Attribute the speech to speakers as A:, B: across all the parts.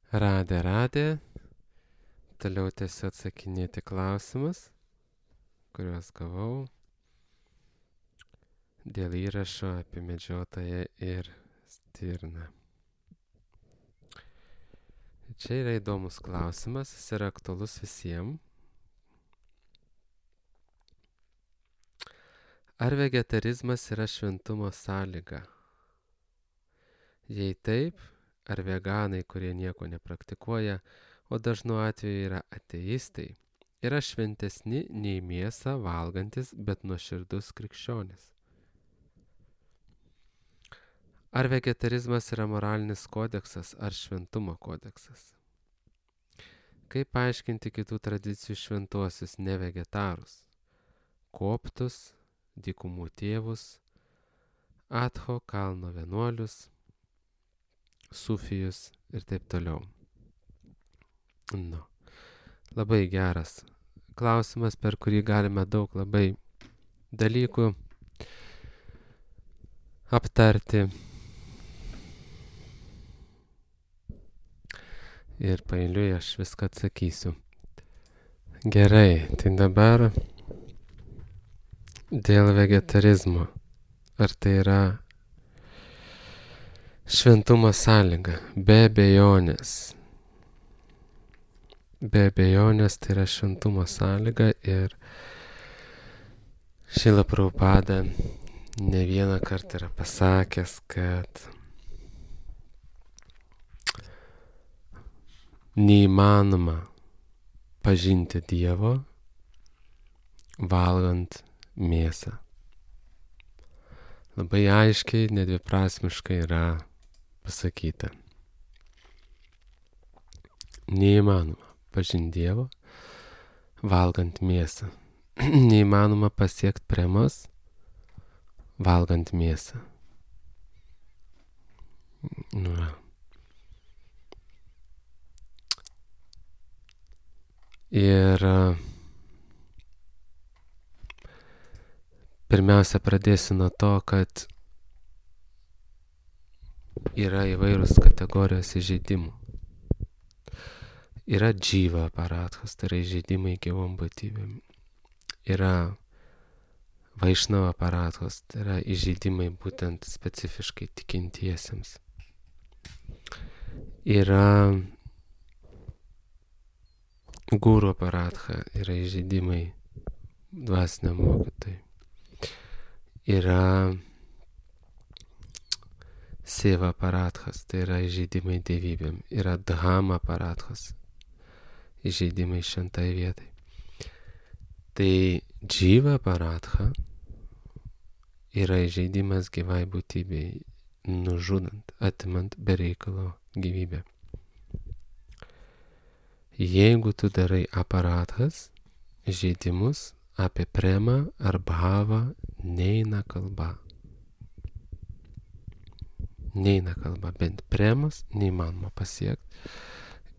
A: Radė. Toliau tiesiog atsakinėti klausimus, kuriuos gavau dėl įrašo apie medžiotoją ir stirną. Čia yra įdomus klausimas, jis yra aktualus visiems. Ar vegetarizmas yra šventumo sąlyga? Jei taip, ar veganai, kurie nieko nepraktikuoja, o dažnu atveju yra ateistai, yra šventesni nei mėsą valgantis, bet nuoširdus krikščionis? Ar vegetarizmas yra moralinis kodeksas ar šventumo kodeksas? Kaip paaiškinti kitų tradicijų šventuosius nevegetarus? Koptus, dykumų tėvus, Atho kalno vienuolius, sufijus ir taip toliau. Labai geras klausimas, per kurį galime daug labai dalykų aptarti. Ir paeiliui aš viską atsakysiu. Gerai, tai dabar dėl vegetarizmo. Ar tai yra šventumo sąlyga? Be abejonės. Be abejonės tai yra šventumo sąlyga ir Šrila Prabhupada ne vieną kartą yra pasakęs, kad neįmanoma pažinti Dievo valgant mėsą. Labai aiškiai, nedviprasmiškai yra pasakyta. Neįmanoma pažinti Dievo valgant mėsą. Neįmanoma pasiekti premos valgant mėsą. Ir pirmiausia pradėsiu nuo to, kad yra įvairūs kategorijos įžeidimų. Yra džyva aparatas, tai yra įžeidimai gyvom būtybėm. Yra vaišnava aparatas, tai yra įžeidimai būtent specifiškai tikintiesiems. Yra guru aparatha, yra įžeidimai dvasiniam mokytojui. Yra seva aparatas, tai yra įžeidimai dievybėm. Yra dhama aparatas, įžeidimai šventai vietai. Tai džyva aparatha yra įžeidimas gyvai būtybei, nužudant, atimant be reikalo gyvybę. Jeigu tu darai aparatas, žaidimus apie premą ar bhavą, neina kalba. Neina kalba, bent premas neįmanoma pasiekti.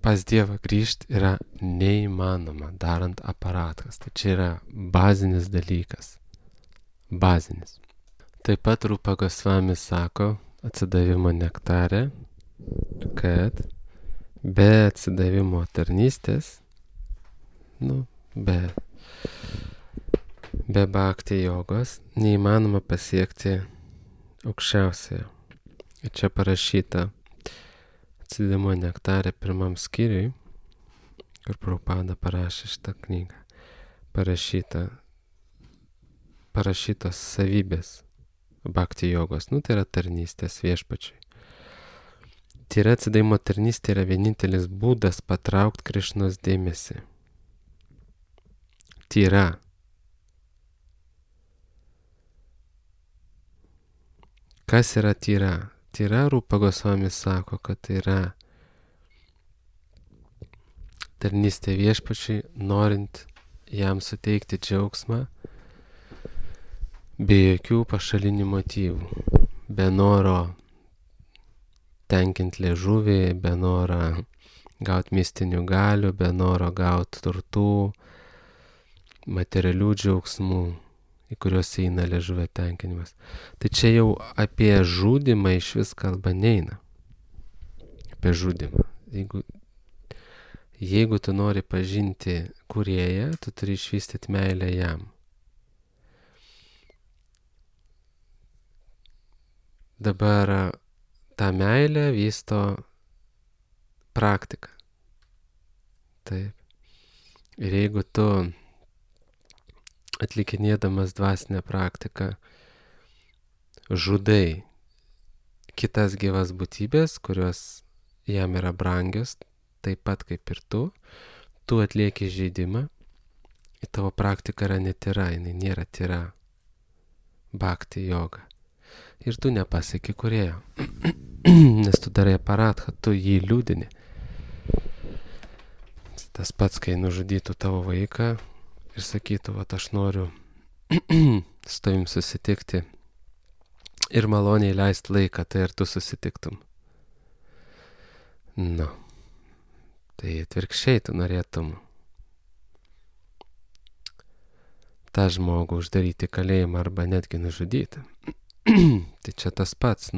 A: Pas Dievą grįžti yra neįmanoma, darant aparatas. Tai čia yra bazinis dalykas. Bazinis. Taip pat Rupa Gosvami sako atsidavimo nektare, kad be atsidavimo tarnystės, be bhakti jogos, neįmanoma pasiekti aukščiausiojo. Ir čia parašyta atsidavimo nektare 1 skyriui, kur Prabhupada parašė šitą knygą. Parašytos savybės bhakti jogos, tai yra tarnystės viešpačiui. Tyra atsidavimo tarnystė yra vienintelis būdas patraukti Krišnos dėmesį. Tyra. Kas yra tyra? Tyra, Rupa Gosvami sako, kad tai yra tarnystė viešpačiui, norint jam suteikti džiaugsmą be jokių pašalinių motyvų, be noro tenkinti liežuvį, be noro gauti mistinių galių, be noro gauti turtų, materialių džiaugsmų, į kuriuos eina liežuvio tenkinimas. Tai čia jau apie žudymą iš vis kalba neina. Apie žudymą. Jeigu Jeigu tu nori pažinti kūrėją, tu turi išvystyti meilę jam. Dabar tą meilę vysto praktika. Taip. Ir jeigu tu atlikinėdamas dvasinę praktiką žudai kitas gyvas būtybės, kurios jam yra brangios, taip pat kaip ir tu atlieki žaidimą, tavo praktika yra netyra, jinai nėra tyra, bhakti joga. Ir tu nepasieki kūrėjo, nes tu darai aparatą, tu jį liūdini. Tas pats, kai nužudytų tavo vaiką ir sakytų, vat aš noriu su tavim susitikti ir maloniai leisti laiką, tai ar tu susitiktum? Nu, tai atvirkščiai tu norėtum tą žmogų uždaryti į kalėjimą arba netgi nužudyti. Tai čia tas pats,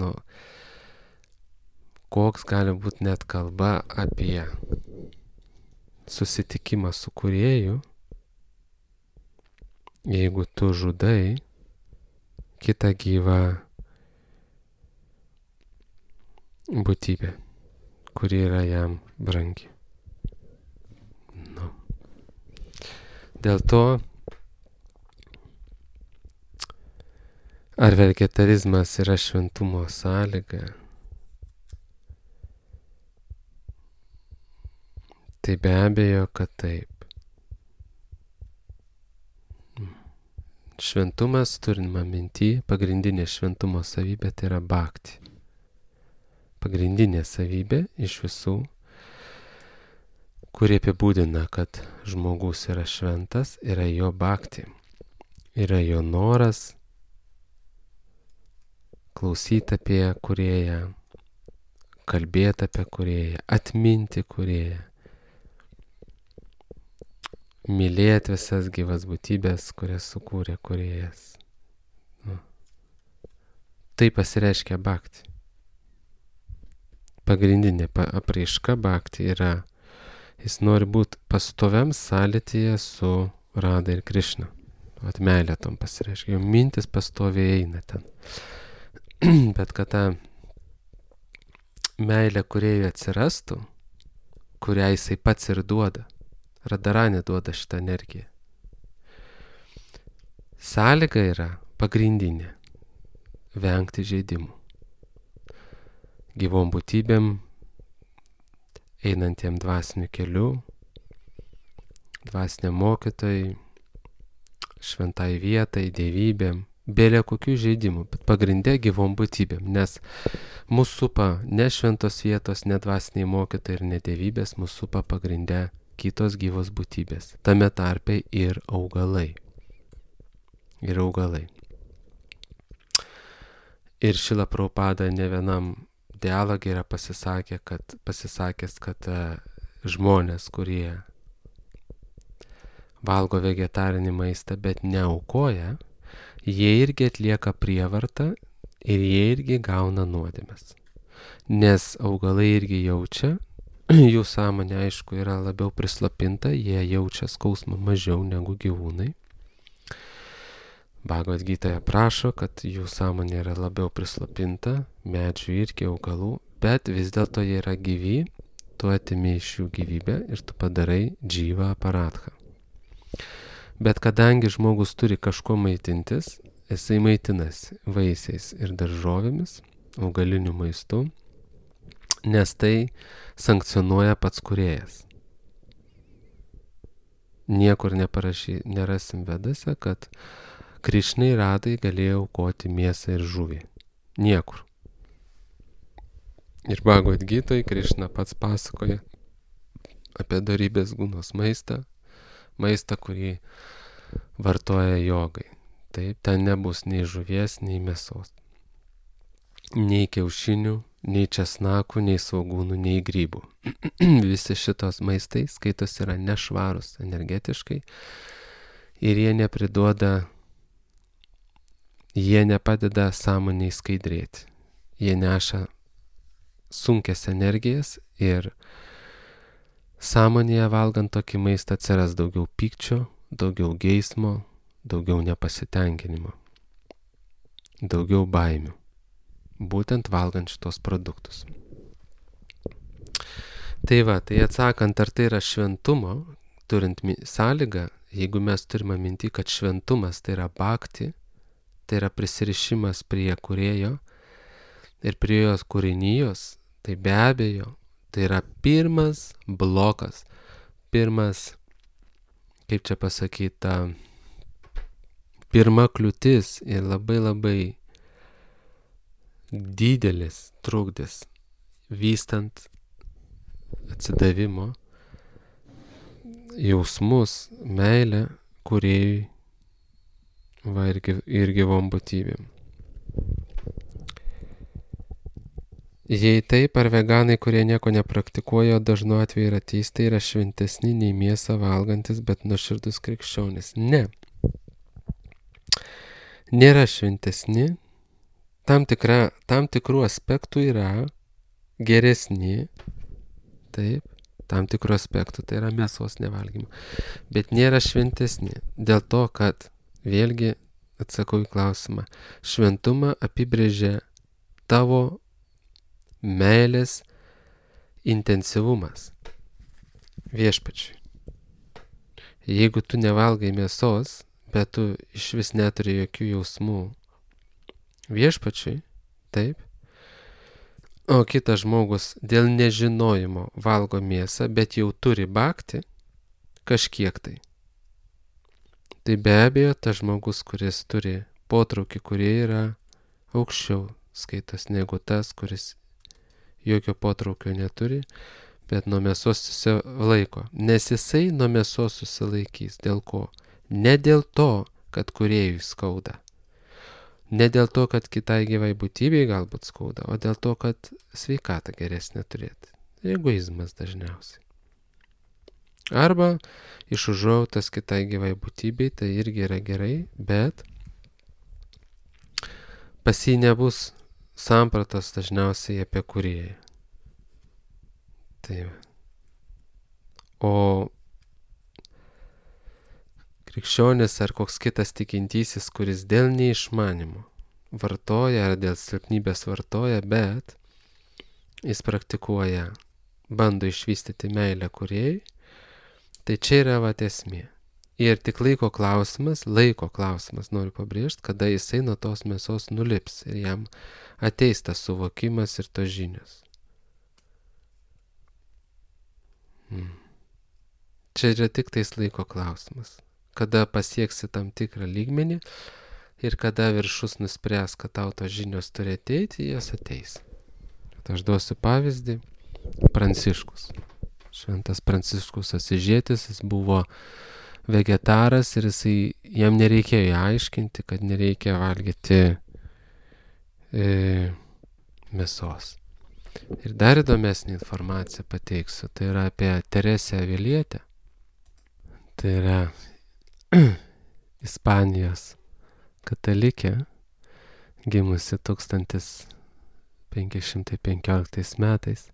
A: koks gali būti net kalba apie susitikimą su kūrėju, jeigu tu žudai kitą gyvą būtybę, kuri yra jam brangi. Dėl to, ar vegetarizmas yra šventumo sąlyga, tai be abejo, kad taip. Šventumas, turima minty, pagrindinė šventumo savybė tai yra bhakti. Pagrindinė savybė iš visų, kurie apibūdina, kad žmogus yra šventas, yra jo bhakti. Yra jo noras klausyti apie kūrėją, kalbėti apie kūrėją, atminti kūrėją, mylėti visas gyvas būtybės, kurias sukūrė kūrėjas. Tai pasireiškia bhakti. Pagrindinė apraiška bhakti yra, jis nori būti pastoviam sąlytyje su Radha ir Krišna. Vat meilė tom pasireiškia, jo mintis pastoviai eina ten. Bet kad ta meilė kūrėjui atsirastų, kurią jisai pats ir duoda, Radharani duoda šitą energiją. Sąlyga yra pagrindinė - vengti žaidimų. Gyvom būtybėm, einantiem dvasiniu keliu, dvasiniam mokytojai, šventai vietai, dievybėm, bėlė kokių žaidimų, bet pagrindė gyvom būtybėm, nes mūsų supa ne šventos vietos, ne dvasiniai mokytojai ir ne dievybės, mūsų supa pagrindė kitos gyvos būtybės, tame tarpe ir augalai. Ir augalai. Ir Šrila Prabhupada ne vienam dialogė yra pasisakęs, kad žmonės, kurie valgo vegetarinį maistą, bet neaukoja, jie irgi atlieka prievartą ir jie irgi gauna nuodėmes. Nes augalai irgi jaučia, jų sąmonė aišku yra labiau prislopinta, jie jaučia skausmą mažiau negu gyvūnai. Bhagavad Gitoje prašo, kad jų sąmonė yra labiau prislopinta, medžių irgi augalų, bet vis dėlto jie yra gyvi, tu atimi iš jų gyvybę ir tu padarai džyvą aparatą. Bet kadangi žmogus turi kažko maitintis, jisai maitinasi vaisiais ir daržovėmis, augaliniu maistu, nes tai sankcionuoja pats kūrėjas. Niekur nerasim vedose, kad Krišnai Radai galėjo aukoti mėsą ir žuvį. Niekur. Ir Bhagavad Gitoje Krišna pats pasakoja apie dorybės gūnos maistą, kurį vartoja jogai. Taip, ten nebus nei žuvies, nei mėsos, nei kiaušinių, nei česnakų, nei svogūnų, nei grybų. Visi šitos maistai skaitos yra nešvarus energetiškai ir jie nepadeda sąmoniai skaidrėti. Jie neša sunkias energijas ir Sąmonėje valgant tokį maistą atsiras daugiau pykčio, daugiau geismo, daugiau nepasitenkinimo, daugiau baimių, būtent valgant šitos produktus. Tai atsakant, ar tai yra šventumo, turint sąlygą, jeigu mes turime minti, kad šventumas tai yra bhakti, tai yra prisirišimas prie kūrėjo ir prie jos kūrinijos, tai be abejo, tai yra pirmas blokas, kaip čia pasakyta, pirma kliūtis ir labai didelis trukdis vystant atsidavimo jausmus, meilę kūrėjui ir gyvom būtybėm. Jei taip, ar veganai, kurie nieko nepraktikuoja, dažnu atveju yra ateistai, yra šventesni nei mėsą valgantis, bet nuoširdus krikščionis? Ne. Nėra šventesni. Tam tikrų aspektų yra geresni. Taip, tam tikrų aspektų, tai yra mėsos nevalgymo. Bet nėra šventesni. Dėl to, kad, vėlgi atsakau į klausimą, šventumą apibrėžia tavo meilės intensyvumas viešpačiui. Jeigu tu nevalgai mėsos, bet tu iš vis neturi jokių jausmų viešpačiui, taip, o kitas žmogus dėl nežinojimo valgo mėsą, bet jau turi bhakti kažkiek tai. Tai be abejo, tas žmogus, kuris turi potraukį, kurie yra aukščiau skaitas negu tas, kuris jokio potraukio neturi, bet nuo mėsos susilaiko. Nes jisai nuo mėsos susilaikys. Dėl ko? Ne dėl to, kad kūrėjui skauda. Ne dėl to, kad kitai gyvai būtybei galbūt skauda, o dėl to, kad sveikatą geresnę turėti. Egoizmas dažniausiai. Arba iš užuojautos kitai gyvai būtybei, tai irgi yra gerai, bet pas jį nebus sampratos dažniausiai apie kūrėją. Tai. O krikščionis ar koks kitas tikintysis, kuris dėl neišmanimo vartoja ar dėl silpnybės vartoja, bet jis praktikuoja, bando išvystyti meilę kūrėjui, tai čia yra esmė. Ir tik laiko klausimas, noriu pabrėžti, kada jisai nuo tos mėsos nulips ir jam ateis tas suvokimas ir tos žinios. Čia yra tik tais laiko klausimas. Kada pasieksi tam tikrą lygmenį ir kada viršus nuspręs, kad tau tos žinios turi ateiti, jas ateis. Aš duosiu pavyzdį. Pranciškus. Šventas Pranciškus Asyžietis, jis buvo vegetaras ir jam nereikėjo aiškinti, kad nereikia valgyti mėsos. Ir dar įdomesnį informaciją pateiksiu, tai yra apie Teresę Avilietę. Tai yra Ispanijos katalikė, gimusi 1515 metais.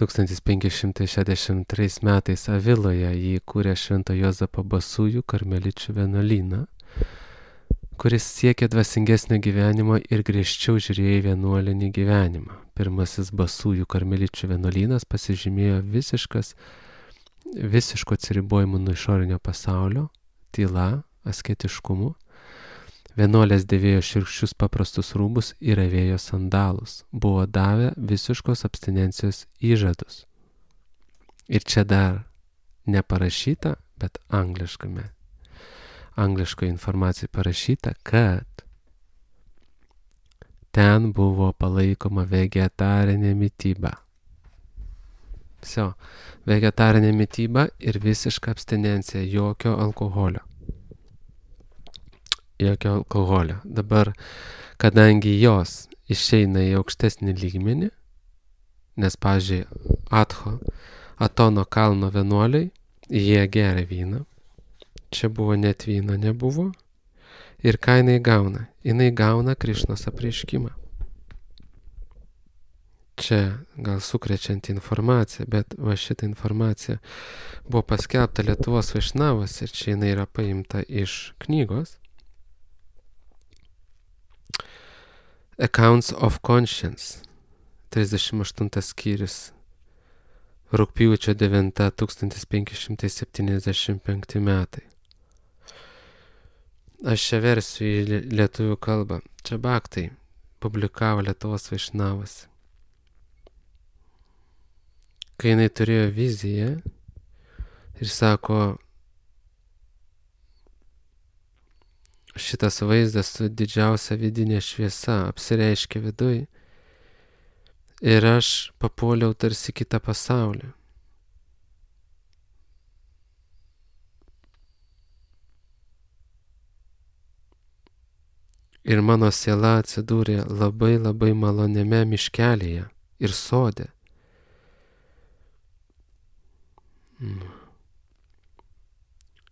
A: 1563 metais Aviloje jį įkūrė Švento Juozapo Basųjų karmeličių vienuolyną, kuris siekė dvasingesnio gyvenimo ir griežčiau žiūrėjo į vienuolinį gyvenimą. Pirmasis Basųjų karmeličių vienuolynas pasižymėjo visiško atsiribojimo nuo išorinio pasaulio, tyla, asketiškumu. Vienuolės dėvėjo šiurkščius paprastus rūbus ir avėjo sandalus. Buvo davę visiškos abstinencijos įžadus. Ir čia dar neparašyta, bet angliškoje informacijoje parašyta, kad ten buvo palaikoma vegetarinė mityba. Vegetarinė mityba ir visiška abstinencija, jokio alkoholio. Dabar, kadangi jos išeina į aukštesnį lygmenį, nes, pavyzdžiui, Atono kalno vienuoliai, jie geria vyną, čia buvo net vyno nebuvo, ir ką jinai gauna? Jinai gauna Krišnos apreiškimą. čia gal sukrečianti informacija, bet va šitą informaciją buvo paskelbta Lietuvos Vaišnavos ir čia jinai yra paimta iš knygos Accounts of Conscience, 38 skyrius, rugpjūčio 9 1575 metai. Aš čia versiu į lietuvių kalbą. Čia Bhaktai publikavo Lietuvos Vaišnavos. Kai jinai turėjo viziją ir sako, šitas vaizdas su didžiausia vidinė šviesa apsireiškia viduj ir aš papuoliau tarsi kitą pasaulį. Ir mano siela atsidūrė labai labai maloniame miškelėje ir sode.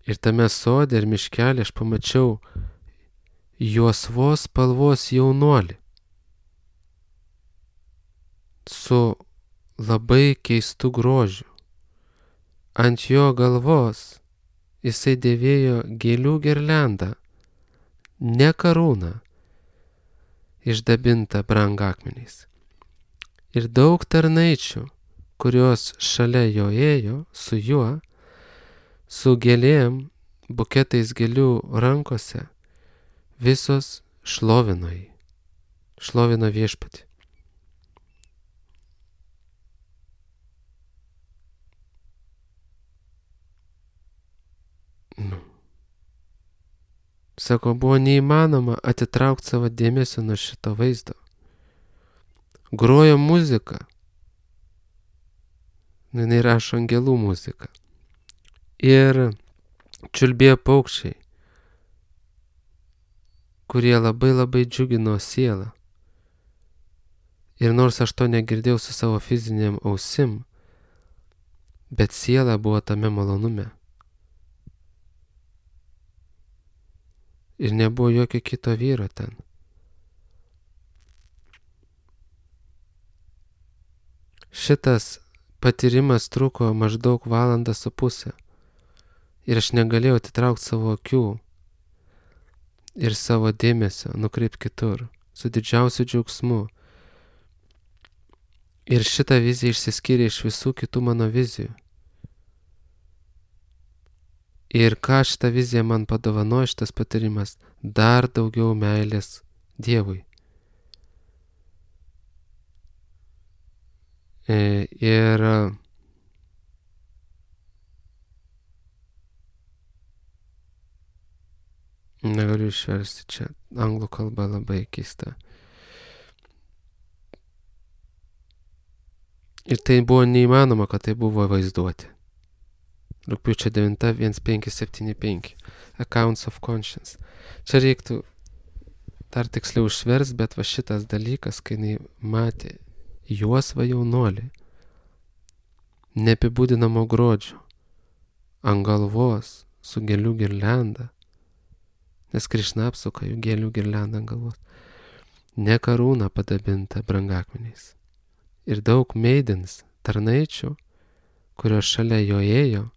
A: Ir tame sode ir miškelė aš pamačiau juosvos spalvos jaunuolį su labai keistu grožiu. Ant jo galvos jisai dėvėjo gėlių girliandą, ne karūną, išdabintą brangakmeniais. Ir daug tarnaičių, kurios šalia jo ėjo, su juo, su gėlėm, buketais gėlių rankose, visos šlovino jį, šlovino viešpatį. Sako, buvo neįmanoma atitraukti savo dėmesio nuo šito vaizdo. Grojo muzika. Jinai rašo angelų muziką. Ir čiulbėjo paukščiai, kurie labai labai džiugino sielą. Ir nors aš to negirdėjau su savo fiziniam ausim, bet siela buvo tame malonume. Ir nebuvo jokio kito vyro ten. Šitas patyrimas truko maždaug 1,5 valandą. Ir aš negalėjau atitraukti savo akių ir savo dėmesio nukreipti kitur, su didžiausiu džiaugsmu. Ir šita vizija išsiskyrė iš visų kitų mano vizijų. Ir ką šitą viziją man padovanojo šitas patyrimas? Dar daugiau meilės Dievui. Ir negaliu išversti čia, anglų kalba labai keista. Ir tai buvo neįmanoma, kad tai buvo vaizduoti. Rugpjūčio 9 1575. Accounts of Conscience. Čia reiktų dar tiksliau išvers, bet va šitas dalykas, kai jinai matė juosvą jaunuolį, neapibūdinamo grožio, ant galvos su gėlių girlianda, nes Krišna apsuka jų gėlių girliandą ant galvos, ne karūna padabinta brangakmeniais. Ir daug maidens, tarnaičių, kurios šalia jo ėjo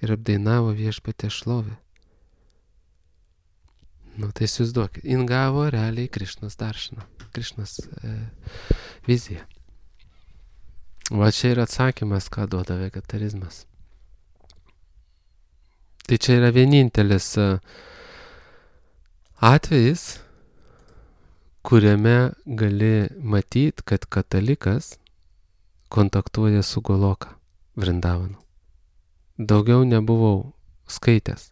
A: ir apdainavo viešpatės šlovę. Nu, tai įsivaizduokit, jin gavo realiai Krišnos daršiną, Krišnos viziją. Va čia yra atsakymas, ką duoda vegetarizmas. Tai čia yra vienintelis atvejis, kuriame gali matyti, kad katalikas kontaktuoja su Goloka Vrindavanu. Daugiau nebuvau skaitęs.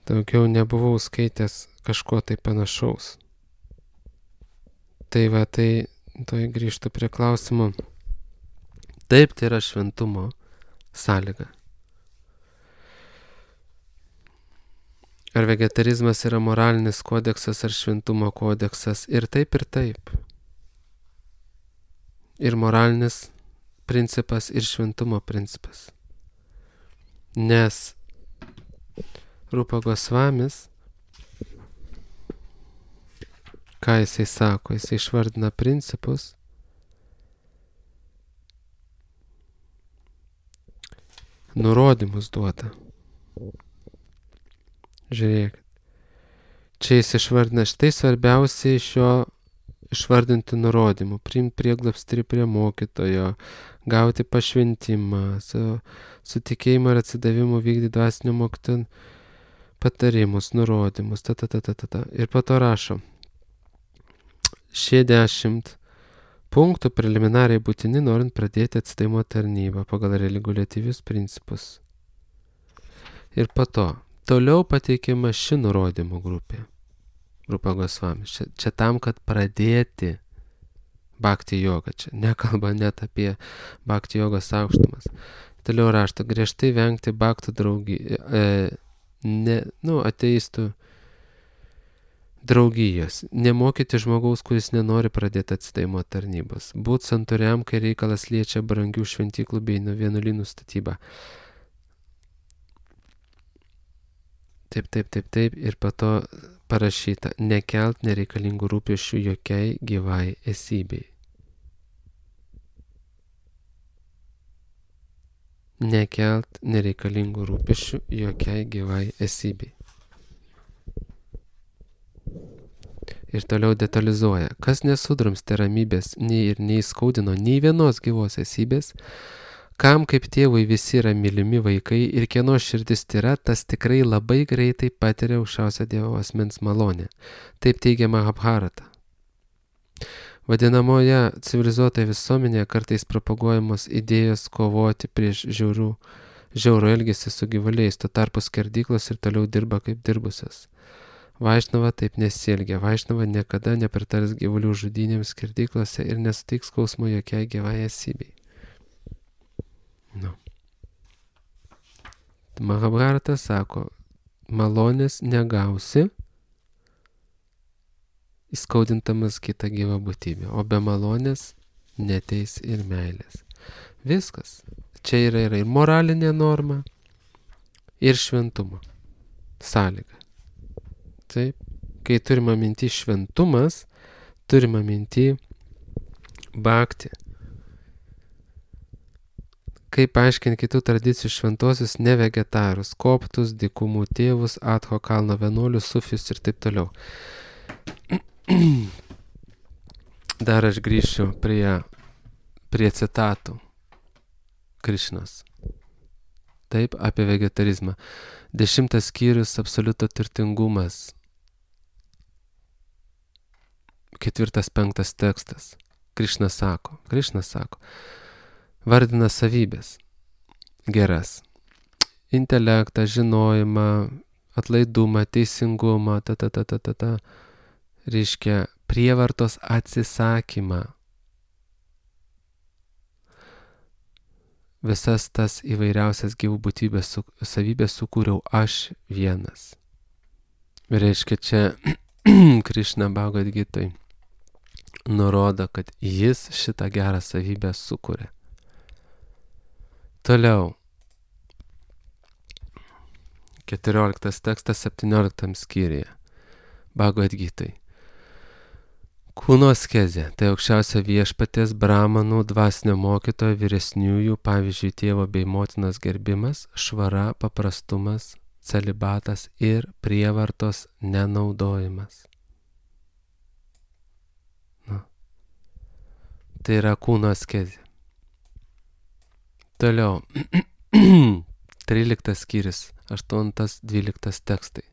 A: Daugiau nebuvau skaitęs kažko tai panašaus. Tai va, tai grįžtu prie klausimo. Taip, tai yra šventumo sąlyga. Ar vegetarizmas yra moralinis kodeksas ar šventumo kodeksas? Ir taip, ir taip. Ir moralinis principas, ir šventumo principas. Nes Rupa Gosvamis ką jisai sako? Jisai išvardina principus, nurodymus duoda. Žiūrėkit. Čia jis išvardina štai svarbiausia iš jo išvardinti nurodymų. Priimti prieglobstį prie mokytojo, gauti pašventimą, su tikėjimu ir atsidavimu vykdyti dvasinio mokytojo patarimus, nurodymus. Ir po to rašo. Šie 10 punktų preliminariai būtini, norint pradėti atsidavimo tarnybą pagal reguliatyvius principus. Ir po to toliau pateikiama ši nurodymų grupė. Rupa Gosvamis. Čia tam, kad pradėti bhakti jogą. Čia nekalba net apie bhakti jogos aukštumas. Toliau rašta, griežtai vengti bhaktų ateistų draugijos. Nemokyti žmogaus, kuris nenori pradėti atsidavimo tarnybos. Būt santūriam, kai reikalas liečia brangių šventyklų bei vienuolynų statybą. Taip. Ir po to parašyta, nekelt nereikalingų rūpesčių jokiai gyvai esybei. Nekelt nereikalingų rūpesčių jokiai gyvai esybei. Ir toliau detalizuoja, kas nesudrumstė ramybės nei ir neįskaudino nei vienos gyvos esybės, kam kaip tėvui visi yra mylimi vaikai ir kieno širdis tyra, tas tikrai labai greitai patiria aukščiausio Dievo asmens malonę. Taip teigia Mahabharata. Vadinamoje civilizuotoje visuomenėje kartais propaguojamos idėjos kovoti prieš žiaurų elgesį su gyvuliais, tuo tarpu skerdyklos ir toliau dirba kaip dirbusios. Vaišnava taip nesielgia. Vaišnava niekada nepritars gyvulių žudynėms skerdyklose ir nesuteiks skausmo jokiai gyvai esybei. Mahabharata sako, malonės negausi, įskaudintamas kitą gyvą būtybę, o be malonės neteis ir meilės. Viskas. Čia yra ir moralinė norma, ir šventumo sąlyga. Taip. Kai turime minti šventumas, turime minti bhakti. Kaip paaiškinti kitų tradicijų šventosius nevegetarus, koptus, dykumų tėvus, Adho kalno vienuolius, sufius ir taip toliau. Dar aš grįšiu prie citatų Krišnos. Taip, apie vegetarizmą. 10 skyrius absoliuto turtingumas. 4-5 tekstas. Krišna sako, vardina savybės geras. Intelektą, žinojimą, atlaidumą, teisingumą, reiškia prievartos atsisakymą. Visas tas įvairiausias gyvų būtybės savybės sukūriau aš vienas. Reiškia, čia Krišna Bhagavad Gitoj nurodo, kad jis šitą gerą savybę sukūrė. Toliau. 14 tekstas 17 skyriuje. Bhagavad Gitoj. Kūno askezė, tai aukščiausia viešpaties, brahmanų, dvasinio mokytojo, vyresniųjų, pavyzdžiui, tėvo bei motinos gerbimas, švara, paprastumas, celibatas ir prievartos nenaudojimas. Tai yra kūno askezė. Toliau. 13 skyrius, 8-12 tekstai.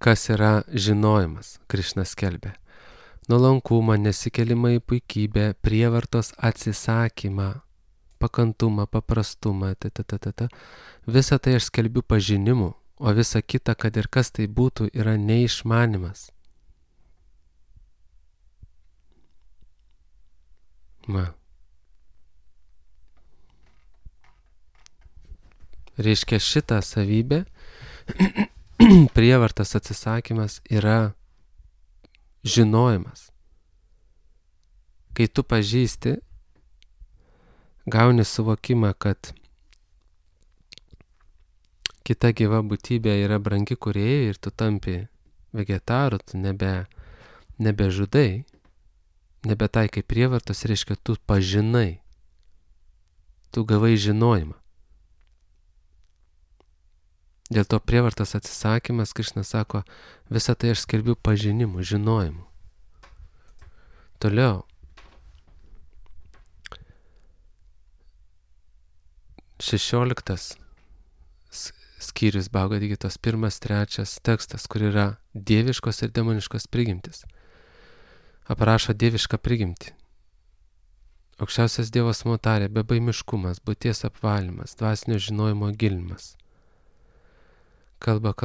A: Kas yra žinojimas, Krišna skelbia. Nuolankumą, nesikelimą į puikybę, prievartos atsisakymą, pakantumą, paprastumą, Visą tai aš skelbiu pažinimu, o visa kita, kad ir kas tai būtų, yra neišmanimas. Reiškia, šitą savybę prievartas atsisakymas yra žinojimas. Kai tu pažįsti, gauni suvokimą, kad kita gyva būtybė yra brangi kūrėjai ir tu tampi vegetaru, tu nebežudai, nebetaikai prievartos, reiškia, tu pažinai, tu gavai žinojimą. Dėl to prievartos atsisakymas, Krišna sako, visą tai aš skelbiu pažinimu, žinojimu. Toliau. 16 skyrius Bhagavad Gitos 1-3 tekstas, kur yra dieviškos ir demoniškos prigimtis. Aprašo dievišką prigimtį. Aukščiausias Dievas tarė, bebaimiškumas, būties apvalymas, dvasinio žinojimo gilinimas. Kalba,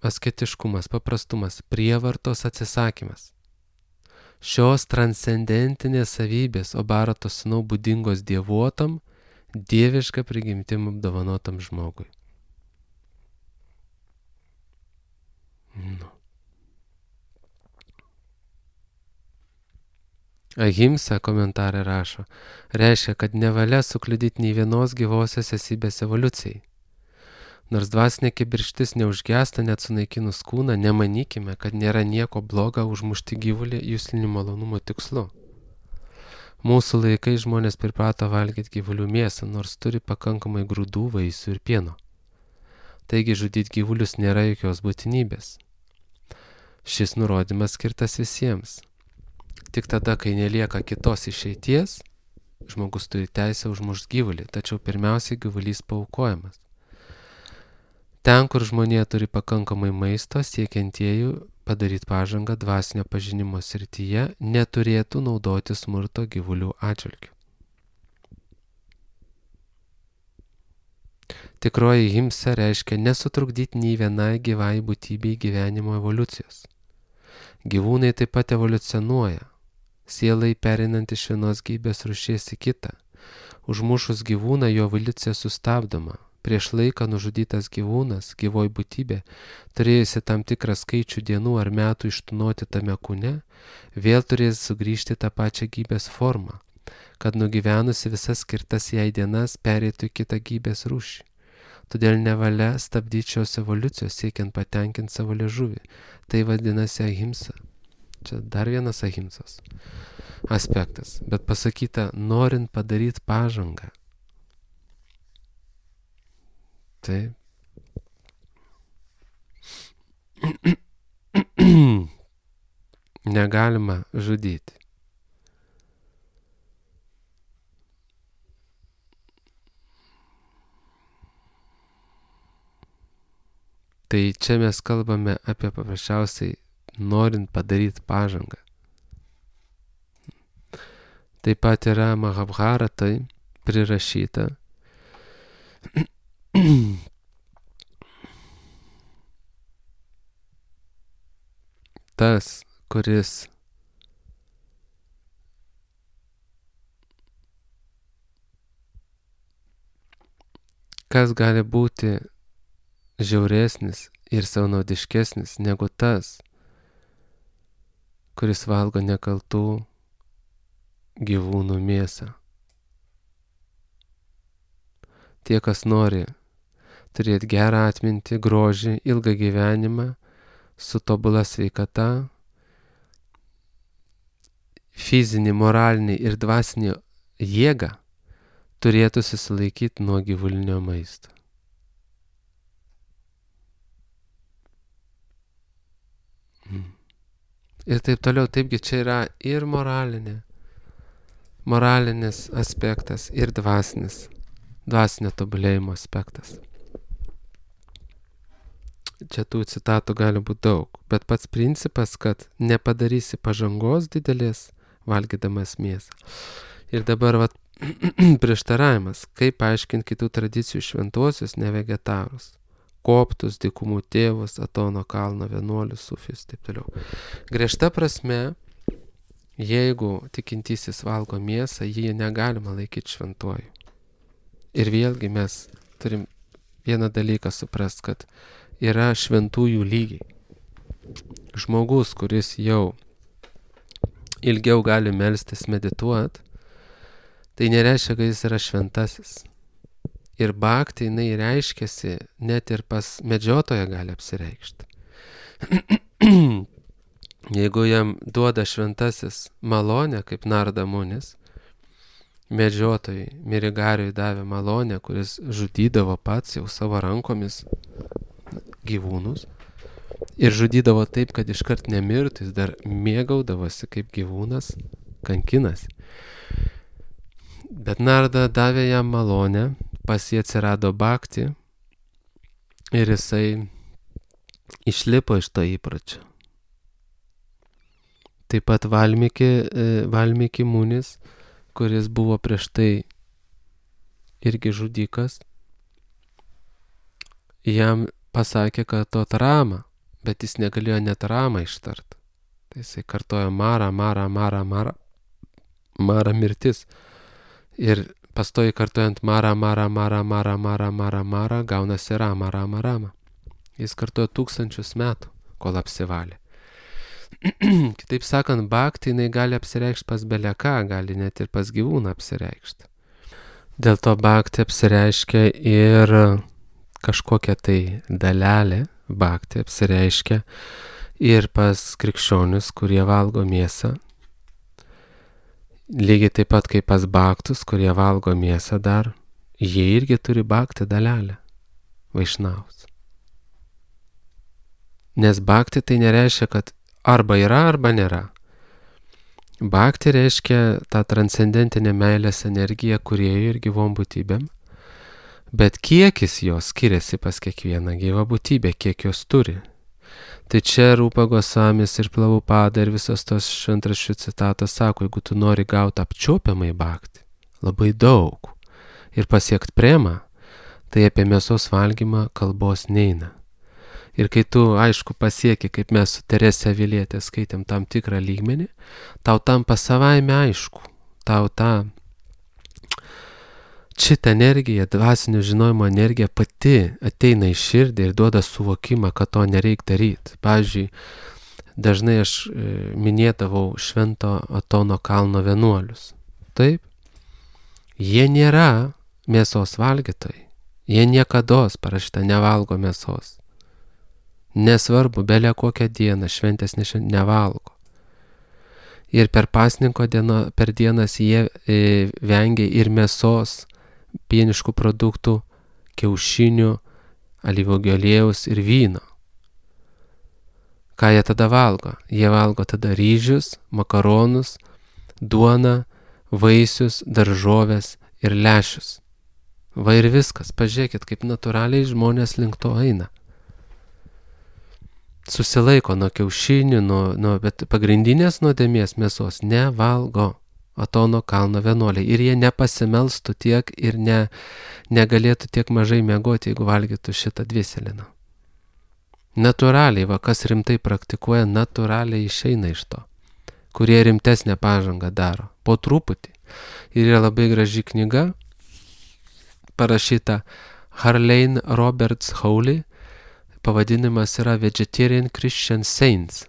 A: asketiškumas, paprastumas, prievartos atsisakymas. Šios transcendentinės savybės, o Bharato sūnau būdingos dievuotam, dievišką prigimtim apdovanotam žmogui. Ahimsa komentarą rašo, reiškia, kad nevalia sukliudyti nei vienos gyvosios esybės evoliucijai. Nors dvasinė kibirkštis neužgęsta net sunaikinus kūną, nemanykime, kad nėra nieko bloga užmušti gyvulį juslinių malonumo tikslu. Mūsų laikai žmonės priprato valgyti gyvulių mėsą, nors turi pakankamai grūdų, vaisių ir pieno. Taigi žudyti gyvulius nėra jokios būtinybės. Šis nurodymas skirtas visiems. Tik tada, kai nelieka kitos išeities, žmogus turi teisę užmušti gyvulį, tačiau pirmiausiai gyvulys paaukojamas. Ten, kur žmonė turi pakankamai maisto, siekiantieji padaryti pažangą dvasinio pažinimo srityje, neturėtų naudoti smurto gyvulių atžvilgiu. Tikroji himsa reiškia nesutrukdyti nei vienai gyvai būtybei gyvenimo evoliucijos. Gyvūnai taip pat evoliucionuoja, sielai pereinant iš vienos gyvybės rūšies į kitą. Užmušus gyvūną jo evoliucija sustabdoma. Prieš laiką nužudytas gyvūnas, gyvoji būtybė, turėjusi tam tikrą skaičių dienų ar metų ištūnoti tame kūne, vėl turės sugrįžti tą pačią gyvybės formą, kad nugyvenusi visas skirtas jai dienas pereitų į kitą gyvybės rūšį. Todėl nevalia stabdyti šios evoliucijos siekiant patenkinti savo liežuvį. Tai vadinasi ahimsa. Čia dar vienas ahimsos aspektas, bet pasakyta, norint padaryti pažangą. Taip. Negalima žudyti. Tai čia mes kalbame apie paprasčiausiai norint padaryti pažangą. Taip pat yra Mahabharatai prirašyta. Tas, kuris kas gali būti žiauresnis ir savanaudiškesnis negu tas, kuris valgo nekaltų gyvūnų mėsą. Tie, kas nori turėti gerą atmintį, grožį, ilgą gyvenimą, su tobula sveikata, fizinį, moralinį ir dvasinį jėgą, turėtų susilaikyti nuo gyvulinio maisto. Ir taip toliau, taipgi čia yra ir moralinis aspektas, ir dvasinio tobulėjimo aspektas. Čia tų citatų gali būti daug, bet pats principas, kad nepadarysi pažangos didelės, valgydamas mėsą. Ir dabar prieštaravimas, kaip paaiškinti kitų tradicijų šventuosius nevegetarus, koptus, dykumų tėvus, Atono kalno vienuolius, sufijus, taip toliau. Griežta prasme, jeigu tikintysis valgo mėsą, jį negalima laikyti šventuoju. Ir vėlgi mes turim vieną dalyką suprast, kad yra šventųjų lygiai. Žmogus, kuris jau ilgiau gali melstis, medituot, tai nereiškia, kad jis yra šventasis. Ir bhakti jinai reiškiasi, net ir pas medžiotoją gali apsireikšti. Jeigu jam duoda šventasis malonę, kaip Narda Munis, medžiotojai Mirigariui davė malonę, kuris žudydavo pats jau savo rankomis gyvūnus. Ir žudydavo taip, kad iškart nemirtų, jis dar mėgaudavosi kaip gyvūnas, kankinasi. Bet Narda davė jam malonę, pas jį atsirado bhakti ir jisai išlipo iš to įpročio. Taip pat Valmiki Munis, kuris buvo prieš tai irgi žudikas, jam pasakė, kad to Rama, bet jis negalėjo net Ramą ištart. Tai jisai kartojo Mara, Mara, Mara, Mara, Mara mirtis. Ir pastoji kartojant Mara, Mara, Mara, Mara, Mara, Mara, Mara, gaunasi Rama, Rama, Rama. Jis kartojo 1000 metų, kol apsivalė. Kitaip sakant, bhakti jinai gali apsireikšti pas beleką, gali net ir pas gyvūną apsireikšti. Dėl to bhakti apsireiškia ir kažkokia tai dalelė, bhakti apsireiškia ir pas krikščionis, kurie valgo mėsą. Lygiai taip pat kaip pas bhaktus, kurie valgo mėsą dar, jie irgi turi bhakti dalelę, vaišnavus. Nes bhakti tai nereiškia, kad arba yra, arba nėra. Bhakti reiškia tą transcendentinę meilės energiją kūrėjui ir gyvom būtybėm, bet kiekis jos skiriasi pas kiekvieną gyvą būtybę, kiek jos turi. Tai čia Rupa Gosvamis ir Prabhupada ir visos tos šventraščių citatos sako, jeigu tu nori gauti apčiuopiamai bhakti, labai daug, ir pasiekti premą, tai apie mėsos valgymą kalbos neina. Ir kai tu, aišku, pasieki, kaip mes su Terese Avilietė skaitėm tam tikrą lygmenį, tau tampa savaime aišku, tau ta šitą energiją, dvasinio žinojimo energija pati ateina į širdį ir duoda suvokimą, kad to nereikia daryti. Pavyzdžiui, dažnai aš minėdavau Švento Atono kalno vienuolius. Taip, jie nėra mėsos valgytojai, jie niekados parašyta nevalgo mėsos. Nesvarbu, belia kokią dieną, šventės nevalgo. Ir per pasninko per dienas jie vengia ir mėsos, pieniškų produktų, kiaušinių, alyvuogių aliejaus ir vyno. Ką jie tada valgo? Jie valgo tada ryžius, makaronus, duoną, vaisius, daržoves ir lęšius. Va ir viskas, pažiūrėkit, kaip natūraliai žmonės link to eina. Susilaiko nuo kiaušinių, bet pagrindinės nuodėmės mėsos nevalgo Atono kalno vienuoliai. Ir jie nepasimelstų tiek ir negalėtų tiek mažai miegoti, jeigu valgytų šitą dviseliną. Natūraliai, va kas rimtai praktikuoja, natūraliai išeina iš to, kurie rimtesnę pažangą daro, po truputį. Ir yra labai graži knyga, parašyta Harlane Roberts Howley, pavadinimas yra Vegetarian Christian Saints.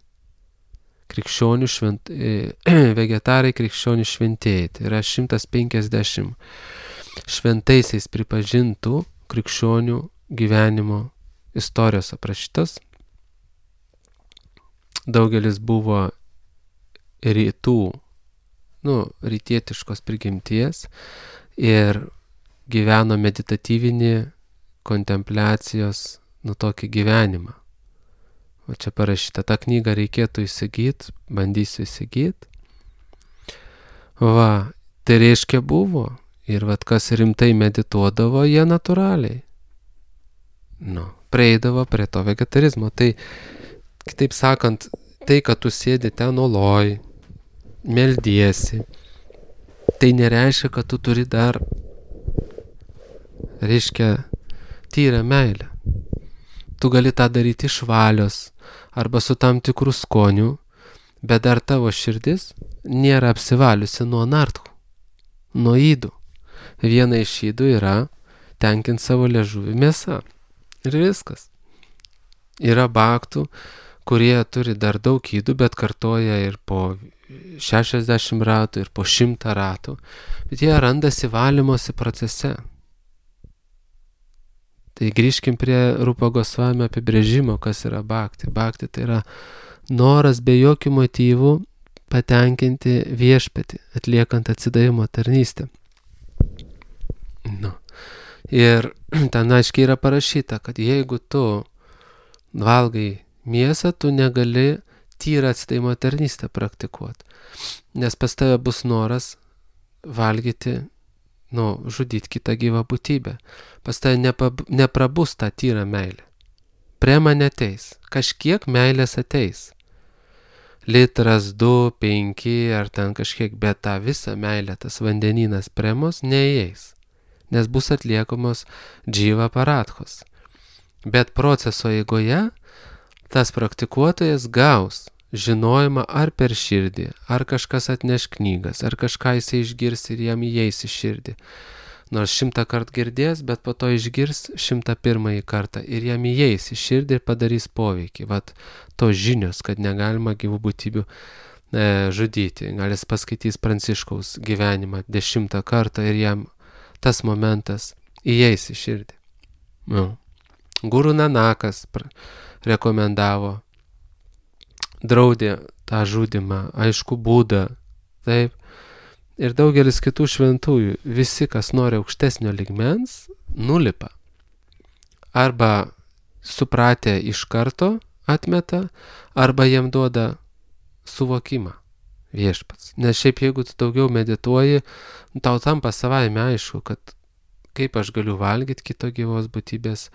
A: Vegetarai krikščionių šventieji. Tai yra 150 šventaisiais pripažintų krikščionių gyvenimo istorijos aprašytas. Daugelis buvo rytietiškos prigimties ir gyveno meditatyvinį kontempliacijos tokį gyvenimą. O čia parašyta, tą knygą reikėtų įsigyti, bandysiu įsigyti. Va, tai reiškia buvo. Ir vat kas rimtai medituodavo, jie natūraliai. Prieidavo prie to vegetarizmo. Tai, kitaip sakant, tai, kad tu sėdi ten oloj, meldiesi, tai nereiškia, kad tu turi dar, tyrą meilę. Tu gali tą daryti iš valios arba su tam tikrų skonių, bet dar tavo širdis nėra apsivaliusi nuo nartkų, nuo ydų. Viena iš ydų yra tenkinti savo liežuvį mėsą. Ir viskas. Yra bhaktų, kurie turi dar daug ydų, bet kartoja ir po 60 ratų, ir po 100 ratų. Bet jie randasi valymosi procese. Tai grįžkim prie Rupa Gosvamio apibrėžimo, kas yra bhakti. Bhakti tai yra noras be jokių motyvų patenkinti viešpatį, atliekant atsidavimo tarnystę. Nu. Ir ten aiškiai yra parašyta, kad jeigu tu valgai mėsą, tu negali tyrą atsidavimo tarnystę praktikuoti. Nes pas tave bus noras valgyti, žudyti kitą gyvą būtybę. Pas tave neprabus tą tyrą meilę. Prema neteis. Kažkiek meilės ateis. Litras, 2, 5 ar ten kažkiek, bet tą visą meilę, tas vandenynas premos neįeis. Nes bus atliekamos džyva paradhos. Bet proceso eigoje tas praktikuotojas gaus žinojimą ar per širdį, ar kažkas atneš knygas, ar kažką jisai išgirs ir jam įeis į širdį. Nors 100 kartų girdės, bet po to išgirs 101 kartą ir jam įeis į širdį ir padarys poveikį. Vat tos žinios, kad negalima gyvų būtybių žudyti. Gal jis paskaitys Pranciškaus gyvenimą 10 kartą ir jam tas momentas įeis į širdį. Guru Nanakas rekomendavo, draudė tą žudimą, aišku, Buda, taip. Ir daugelis kitų šventųjų, visi, kas nori aukštesnio lygmens, nulipa. Arba supratę iš karto atmeta, arba jiem duoda suvokimą viešpats. Nes šiaip jeigu tu daugiau medituoji, tau tampa savaime aišku, kad kaip aš galiu valgyti kito gyvos būtybės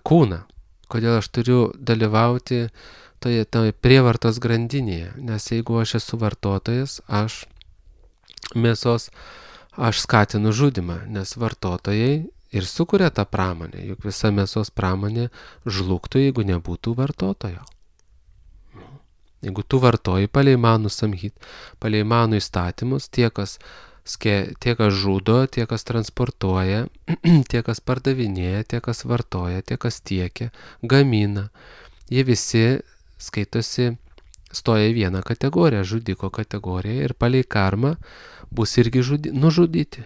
A: kūną. Kodėl aš turiu dalyvauti toje prievartos grandinėje. Nes jeigu aš esu vartotojas, aš skatinu žudimą, nes vartotojai ir sukuria tą pramonę, juk visa mėsos pramonė žlugtų, jeigu nebūtų vartotojo. Jeigu tu vartoji palei manų samhit, palei manų įstatymus, tie, kas žudo, tie, kas transportuoja, tie, kas pardavinėja, tie, kas vartoja, tie, kas tiekia, gamina, jie visi skaitosi, stoja į vieną kategoriją, žudiko kategoriją ir palei karmą bus irgi nužudyti.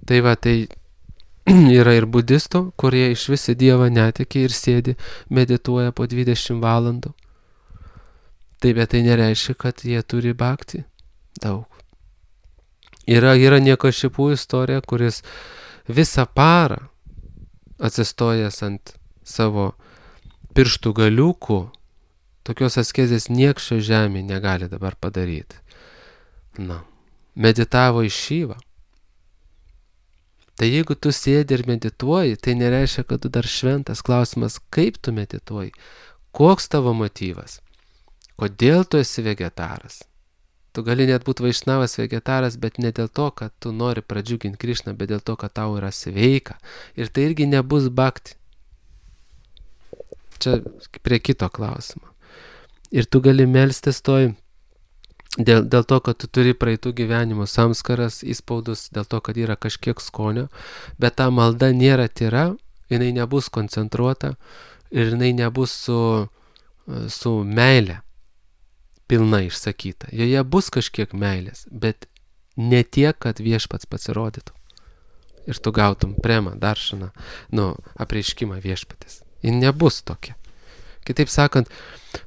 A: Tai va, tai yra ir budistų, kurie iš visi Dievą netiki ir sėdi, medituoja po 20 valandų. Tai bet tai nereiškia, kad jie turi bhakti daug. Yra Niekašipų istorija, kuris visą parą atsistojęs ant savo pirštų galiukų, tokios askezės nieks šio žemė negali dabar padaryti. Meditavo į Šyvą. Tai jeigu tu sėdi ir medituoji, tai nereiškia, kad tu dar šventas. Klausimas, kaip tu medituoji? Koks tavo motyvas? Kodėl tu esi vegetaras? Tu gali net būti vaišnavas vegetaras, bet ne dėl to, kad tu nori pradžiuginti Krišną, bet dėl to, kad tau yra sveika. Ir tai irgi nebus bhakti. Čia prie kito klausimo. Ir tu gali melstis dėl to, kad tu turi praeitų gyvenimų samskaras, įspaudus, dėl to, kad yra kažkiek skonio, bet ta malda nėra tyra, jinai nebus koncentruota ir jinai nebus su meile pilna išsakyta. Joje bus kažkiek meilės, bet ne tiek, kad viešpats pasirodytų. Ir tu gautum premą, daršaną, apreiškimą viešpatės. Jis nebus tokia. Kitaip sakant,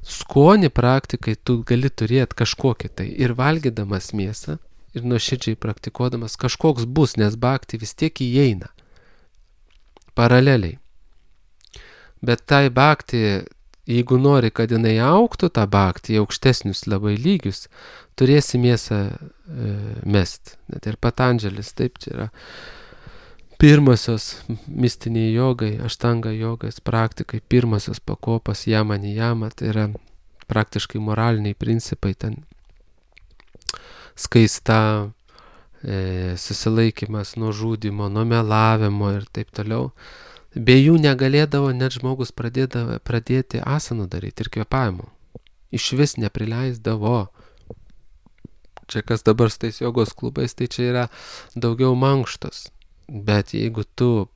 A: skonį praktikai tu gali turėti kažkokį tai ir valgydamas mėsą, ir nuoširdžiai praktikuodamas kažkoks bus, nes bhakti vis tiek įeina paraleliai. Bet tai bhakti, jeigu nori, kad jinai augtų tą bhakti į aukštesnius labai lygius, turėsi mėsą mest. Net ir Patandželis, taip, čia yra pirmosios mistiniai jogai, aštanga jogas praktikai, pirmosios pakopas jama nijama, tai yra praktiškai moraliniai principai, ten skaista, susilaikymas nuo žudimo, nuo melavimo ir taip toliau. Be jų negalėdavo net žmogus pradėti asanų daryti ir kvėpavimo. Iš vis neprileisdavo. Čia kas dabar su tais jogos klubais, tai čia yra daugiau mankštos. Bet jeigu tu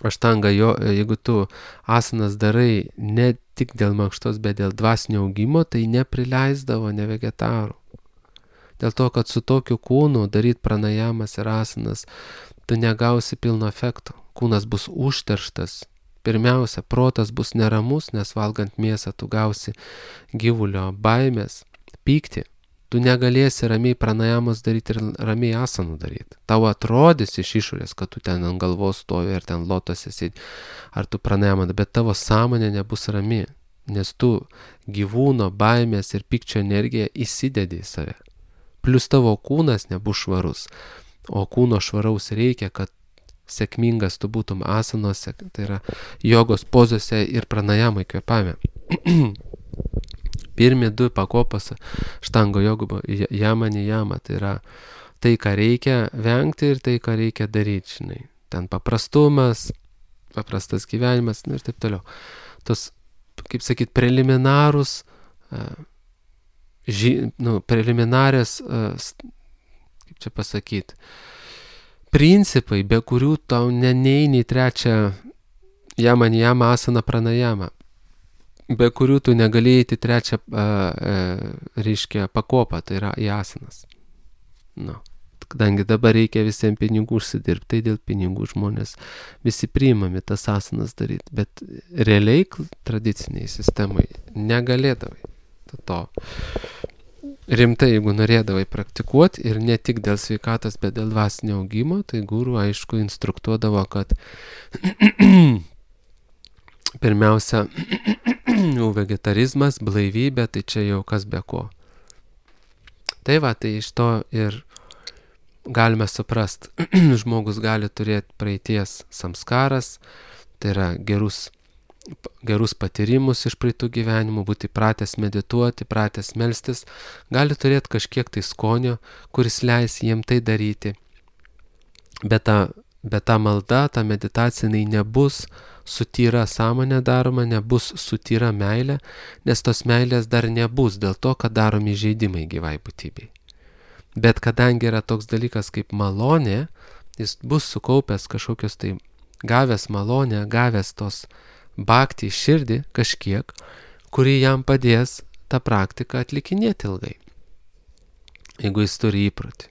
A: jeigu tu asanas darai ne tik dėl mankštos, bet dėl dvasinio augimo, tai neprileisdavo ne vegetarų. Dėl to, kad su tokiu kūnu daryti pranajamas ir asanas, tu negausi pilno efekto. Kūnas bus užterštas. Pirmiausia, protas bus neramus, nes valgant mėsą tu gausi gyvulio baimės, pyktį. Tu negalėsi ramiai pranajamos daryti ir ramiai asanų daryti. Tau atrodys iš išorės, kad tu ten ant galvos stovi ir ten lotose sėdi, ar tu pranajamą, bet tavo sąmonė nebus rami, nes tu gyvūno baimės ir pykčio energiją įsidedi į save. Plius tavo kūnas nebus švarus, o kūno švaraus reikia, kad sėkmingas tu būtum asanuose, tai yra jogos pozose ir pranajamai kvėpavime. Pirmi 2 pakopos štango jogų jama nijama, tai yra tai, ką reikia vengti ir tai, ką reikia daryti, žinai. Ten paprastumas, paprastas gyvenimas ir taip toliau. Tos, kaip sakyt, preliminarės, kaip čia pasakyti, principai, be kurių tau neini į 3 jama nijama asana pranajama, be kurių tu negalėjai į 3 reiškia pakopą, tai yra į asanas. Kadangi dabar reikia visiems pinigų užsidirbti, tai dėl pinigų žmonės visi priimami tas asanas daryti, bet realiai tradiciniai sistemai negalėdavai. To rimtai, jeigu norėdavai praktikuoti ir ne tik dėl sveikatos, bet dėl dvasinio augimo, tai guru aišku instruktuodavo, kad pirmiausia, vegetarizmas, blaivybė, tai čia jau kas be ko. Tai va, tai iš to ir galime suprast, žmogus gali turėti praeities samskaras, tai yra gerus patyrimus iš praeitų gyvenimų, būti pratęs medituoti, pratęs melstis, gali turėti kažkiek tai skonio, kuris leis jiem tai daryti. Bet ta malda, ta meditacija, jinai nebus su tyra sąmonė daroma, nebus su tyra meilė, nes tos meilės dar nebus dėl to, kad daromi įžeidimai gyvai būtybei. Bet kadangi yra toks dalykas kaip malonė, jis bus sukaupęs kažkokios tai gavęs malonę, gavęs tos bhakti į širdį kažkiek, kuri jam padės tą praktiką atlikinėti ilgai, jeigu jis turi įprotį.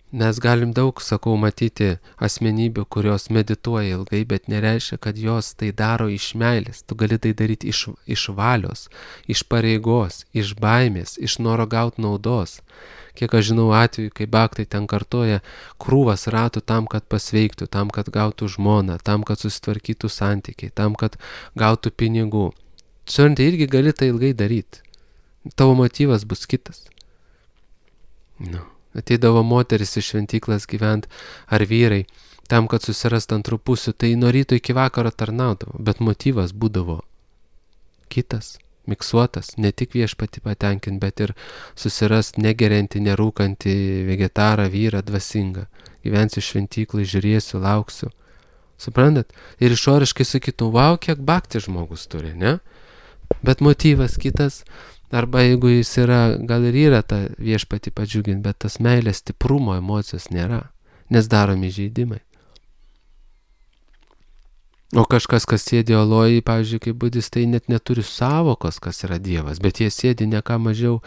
A: Mes galim daug, sakau, matyti asmenybių, kurios medituoja ilgai, bet nereiškia, kad jos tai daro iš meilės. Tu gali tai daryti iš valios, iš pareigos, iš baimės, iš noro gauti naudos. Kiek aš žinau atveju, kai bhaktai ten kartoja krūvas ratų tam, kad pasveiktų, tam, kad gautų žmoną, tam, kad susitvarkytų santykiai, tam, kad gautų pinigų. Čiurtai irgi gali tai ilgai daryti. Tavo motyvas bus kitas. Ateidavo moteris iš šventyklas gyvent ar vyrai, tam, kad susirast antrų pusių, tai nuo ryto iki vakaro tarnaudavo, bet motyvas būdavo kitas, miksuotas, ne tik viešpatį patenkinti, bet ir susirast negeriantį, nerūkantį vegetarą, vyrą, dvasingą. Gyvensiu šventyklai, žiūrėsiu, lauksiu. Suprantat? Ir išoriškai sakytų, vau, kiek bhakti žmogus turi, ne? Bet motyvas kitas. Arba jeigu jis yra, gal ir yra ta viešpatį padžiuginti, bet tas meilės stiprumo emocijos nėra, nes daromi įžeidimai. O kažkas, kas sėdi olojai, pavyzdžiui, kaip budistai, net neturi savokos, kas yra Dievas, bet jie sėdi ne ką mažiau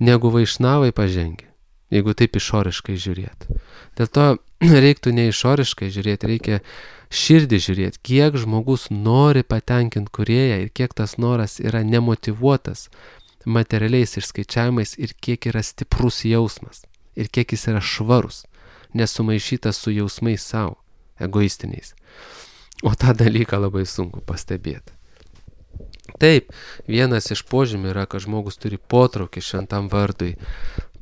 A: negu vaišnavai pažengę, jeigu taip išoriškai žiūrėti. Dėl to reiktų ne išoriškai žiūrėti, reikia širdį žiūrėti, kiek žmogus nori patenkinti kūrėją ir kiek tas noras yra nemotyvuotas materialiais išskaičiavimais ir kiek yra stiprus jausmas ir kiek jis yra švarus, nesumaišytas su jausmais savo, egoistiniais. O tą dalyką labai sunku pastebėti. Taip, vienas iš požymių yra, kad žmogus turi potraukį šventam vardui,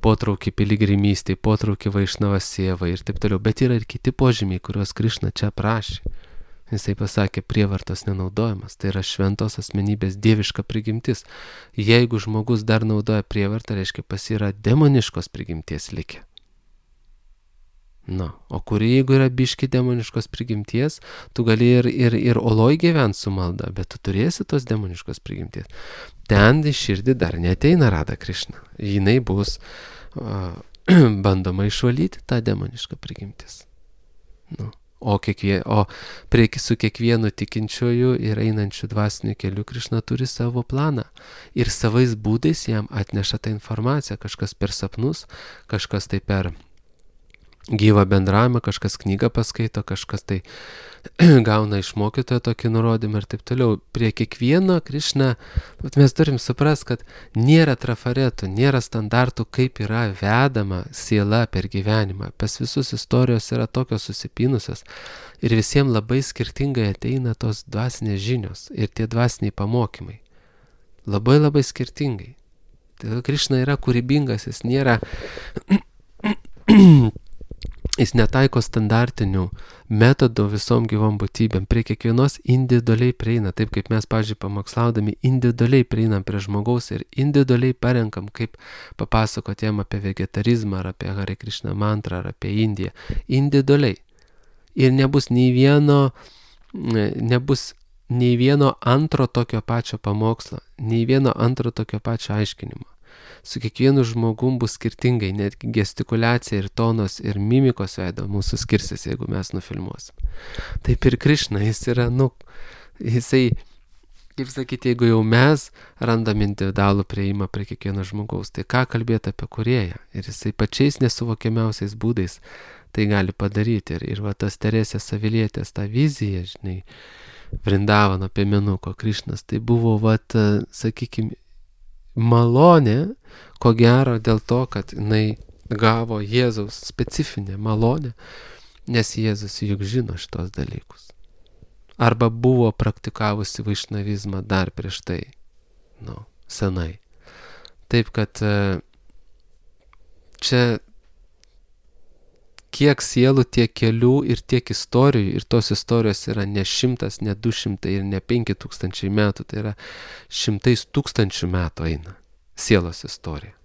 A: potraukį piligrimystei, potraukį vaišnavas sievai ir taip toliau, bet yra ir kiti požymiai, kuriuos Krišna čia prašė. Jisai pasakė, prievartos nenaudojimas, tai yra šventos asmenybės dieviška prigimtis. Jeigu žmogus dar naudoja prievartą, reiškia pas yra demoniškos prigimties likę. O kuri jeigu yra biški demoniškos prigimties, tu gali ir oloj gyventi su malda, bet tu turėsi tos demoniškos prigimties. Ten į širdį dar neateina Rada Krišna. Jinai bus bandoma išvalyti tą demonišką prigimtis. O su kiekvienu tikinčiuoju ir einančiu dvasiniu keliu Krišna turi savo planą ir savais būdais jam atneša tą informaciją, kažkas per sapnus, kažkas tai per gyvą bendravimą, kažkas knygą paskaito, kažkas tai gauna iš mokytojo tokį nurodymą ir taip toliau. Prie kiekvieno Krišna, mes turim suprast, kad nėra trafaretų, nėra standartų, kaip yra vedama siela per gyvenimą. Pas visus istorijos yra tokios susipynusios ir visiems labai skirtingai ateina tos dvasinės žinios ir tie dvasiniai pamokymai. Labai labai skirtingai. Tai Krišna yra kūrybingas, jis nėra... Jis netaiko standartinių metodų visom gyvom būtybėm, prie kiekvienos individualiai prieina, taip kaip mes, pavyzdžiui, pamokslaudami individualiai prieinam prie žmogaus ir individualiai parenkam, kaip papasakoti jam apie vegetarizmą, ar apie Hare Krishna mantrą, ar apie Indiją. Individualiai. Ir nebus nei vieno antro tokio pačio pamokslo, nei vieno antro tokio pačio aiškinimo. Su kiekvienu žmogum bus skirtingai, net gestikuliacija ir tonos ir mimikos veido mūsų skirsis, jeigu mes nufilmuosim. Taip ir Krišna, jis yra, jisai, kaip sakyti, jeigu jau mes randam individualų prieimą prie kiekvieno žmogaus, tai ką kalbėti apie kūrėją? Ir jisai pačiais nesuvokiamiausiais būdais tai gali padaryti. Ir va tas Teresės Avilietės, ta vizija, žinai, Vrindavano piemenuko Krišnas, tai buvo, sakykime, malonė, ko gero dėl to, kad jinai gavo Jėzaus specifinę malonę, nes Jėzus juk žino šitos dalykus. Arba buvo praktikavusi vaišnavizmą dar prieš tai, senai. Taip, kad čia kiek sielų, tiek kelių ir tiek istorijų, ir tos istorijos yra ne 100, ne 200 ir ne 5000 metų, tai yra 100 000 metų eina sielos istorija.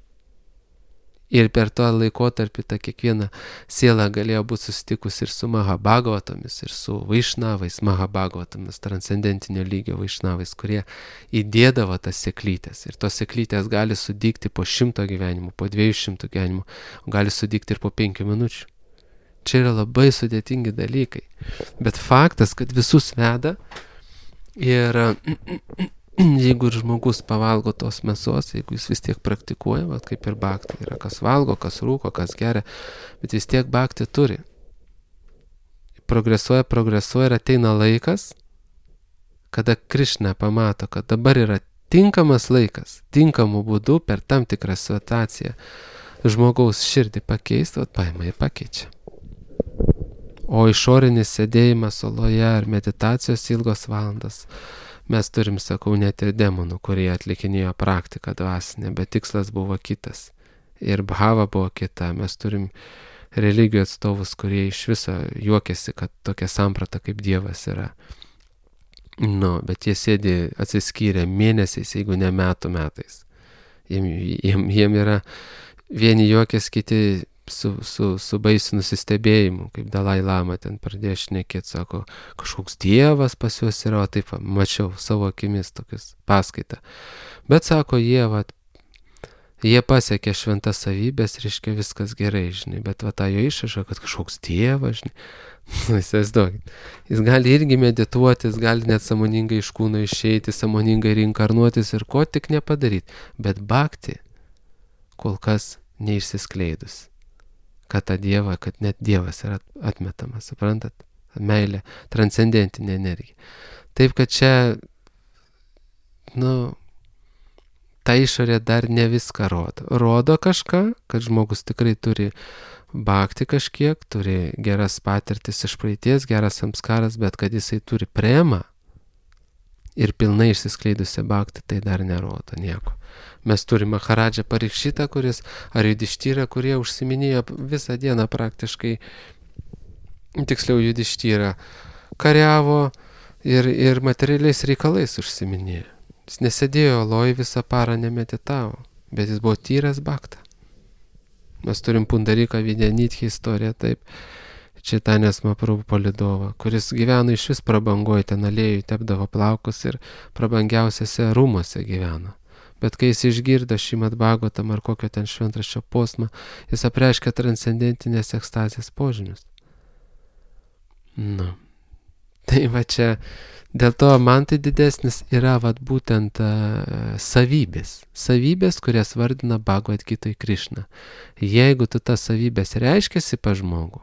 A: Ir per tą laikotarpį ta kiekviena siela galėjo būti susitikus ir su Mahabhagavatomis, ir su vaišnavais Mahabhagavatomis, transcendentinio lygio vaišnavais, kurie įdėdavo tas seklytės. Ir tos seklytės gali sudygti po 100 gyvenimų, po 200 gyvenimų, gali sudygti ir po 5 minučių. Čia yra labai sudėtingi dalykai. Bet faktas, kad visus veda ir jeigu ir žmogus pavalgo tos mėsos, jeigu jis vis tiek praktikuoja, kaip ir bhakti, yra kas valgo, kas rūko, kas geria, bet vis tiek bhakti turi. Progresuoja ir ateina laikas, kada Krišna pamato, kad dabar yra tinkamas laikas, tinkamų būdų per tam tikrą situaciją žmogaus širdį pakeisti, paima ir pakeičia. O išorinis sėdėjimas oloje ar meditacijos ilgos valandas, mes turim, sakau, net ir demonų, kurie atlikinėjo praktiką dvasinę, bet tikslas buvo kitas. Ir bhava buvo kita. Mes turim religijų atstovus, kurie iš viso juokiasi, kad tokia samprata kaip Dievas yra. Bet jie sėdi atsiskyrę mėnesiais, jeigu ne metais. Jiem yra vieni juokės, kiti su baisiu nusistebėjimu, kaip Dalai Lama ten pradėjo šnekėti, sako, kažkoks Dievas pas juos yra, o taip mačiau savo akimis tokius paskaitą. Bet sako, jie pasiekė šventas savybės, reiškia viskas gerai, žinai, bet tą jo išrašą, kad kažkoks Dievas, žinai, įsivaizduokit, jis gali irgi medituoti, jis gali net sąmoningai iš kūno išeiti, sąmoningai reinkarnuotis ir ko tik nepadaryti, bet bhakti kol kas neišsiskleidus. Kad net Dievas yra atmetamas, suprantat? Meilė, transcendentinė energija. Taip, kad čia, ta išorė dar ne viską rodo. Rodo kažką, kad žmogus tikrai turi bhakti kažkiek, turi geras patirtis iš praeities, geras samskaras, bet kad jisai turi premą ir pilnai išsiskleidusią bhakti, tai dar nerodo nieko. Mes turime Maharadžą Parikšitą, ar Judištyrą, kurie užsiminėjo visą dieną praktiškai, tiksliau Judištyrą, kariavo ir materialiais reikalais užsiminėjo. Jis nesėdėjo oloj visą parą, nemeditavo, bet jis buvo tyras bhakta. Mes turim Pundaryką Vidyanitхи istoriją, taip, Čaitanės Mahaprabhu palydovą, kuris gyveno iš vis prabangoje, ten alėjui tepdavo plaukus ir prabangiausiose rūmuose gyveno. Bet kai jis išgirdo Šrimad Bhagavatam ar kokio ten šventraščio posmą, jis apreiškė transcendentinės ekstazės požymius. Tai va čia Dėl to man tai didesnis yra būtent savybės, kurias vardina Bhagavad Gitoj Krišna. Jeigu tu tas savybės reiškiasi pa žmogų,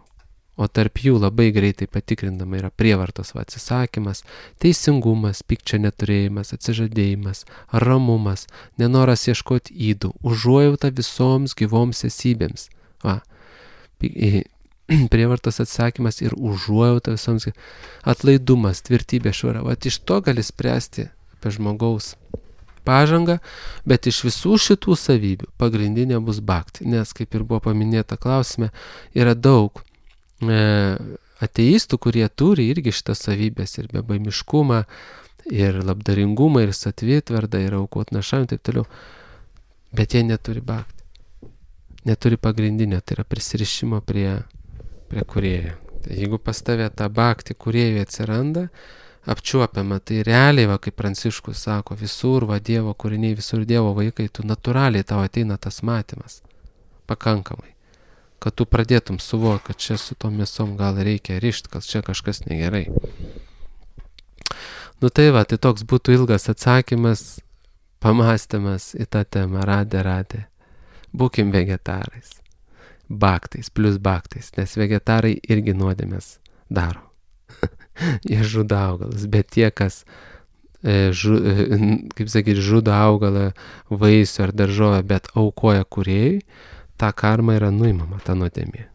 A: o tarp jų labai greitai patikrindama yra prievartos atsisakymas, teisingumas, pykčio neturėjimas, atsižadėjimas, ramumas, nenoras ieškoti ydų, užuojauta visoms gyvoms esybėms. Prievartos atsakymas ir užuojauta visoms, atlaidumas, tvirtybė, švara. Iš to gali spręsti apie žmogaus pažangą, bet iš visų šitų savybių pagrindinė bus bhakti, nes, kaip ir buvo paminėta klausime, yra daug ateistų, kurie turi irgi šitas savybės ir bebaimiškumą, ir labdaringumą, ir satvitvardą, ir aukot našam, taip toliau, bet jie neturi bhakti. Neturi pagrindinio, tai yra prisirišimo prie kūrėjo. Tai jeigu pas tave ta bhakti kūrėjui atsiranda, apčiuopiama, tai realiai, kaip Pranciškus sako, visur Dievo kūriniai, visur Dievo vaikai, tu natūraliai tau ateina tas matymas, pakankamai, kad tu pradėtum suvokti, kad čia su tom mėsom gal reikia rišti, kad čia kažkas negerai. Tai toks būtų ilgas atsakymas, pamastymas į tą temą, radė. Būkim vegetarais. Bhaktais, plus bhaktais, nes vegetarai irgi nuodėmės daro. Jie žudo augalus, bet tie, kas, žudo augalą, vaisių ar daržovę, bet aukoja kūrėjui, ta karma yra nuimama, ta nuodėmė.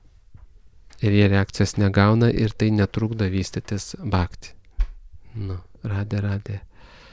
A: Ir jie reakcijos negauna ir tai netrukdo vystytis bhakti. Radė.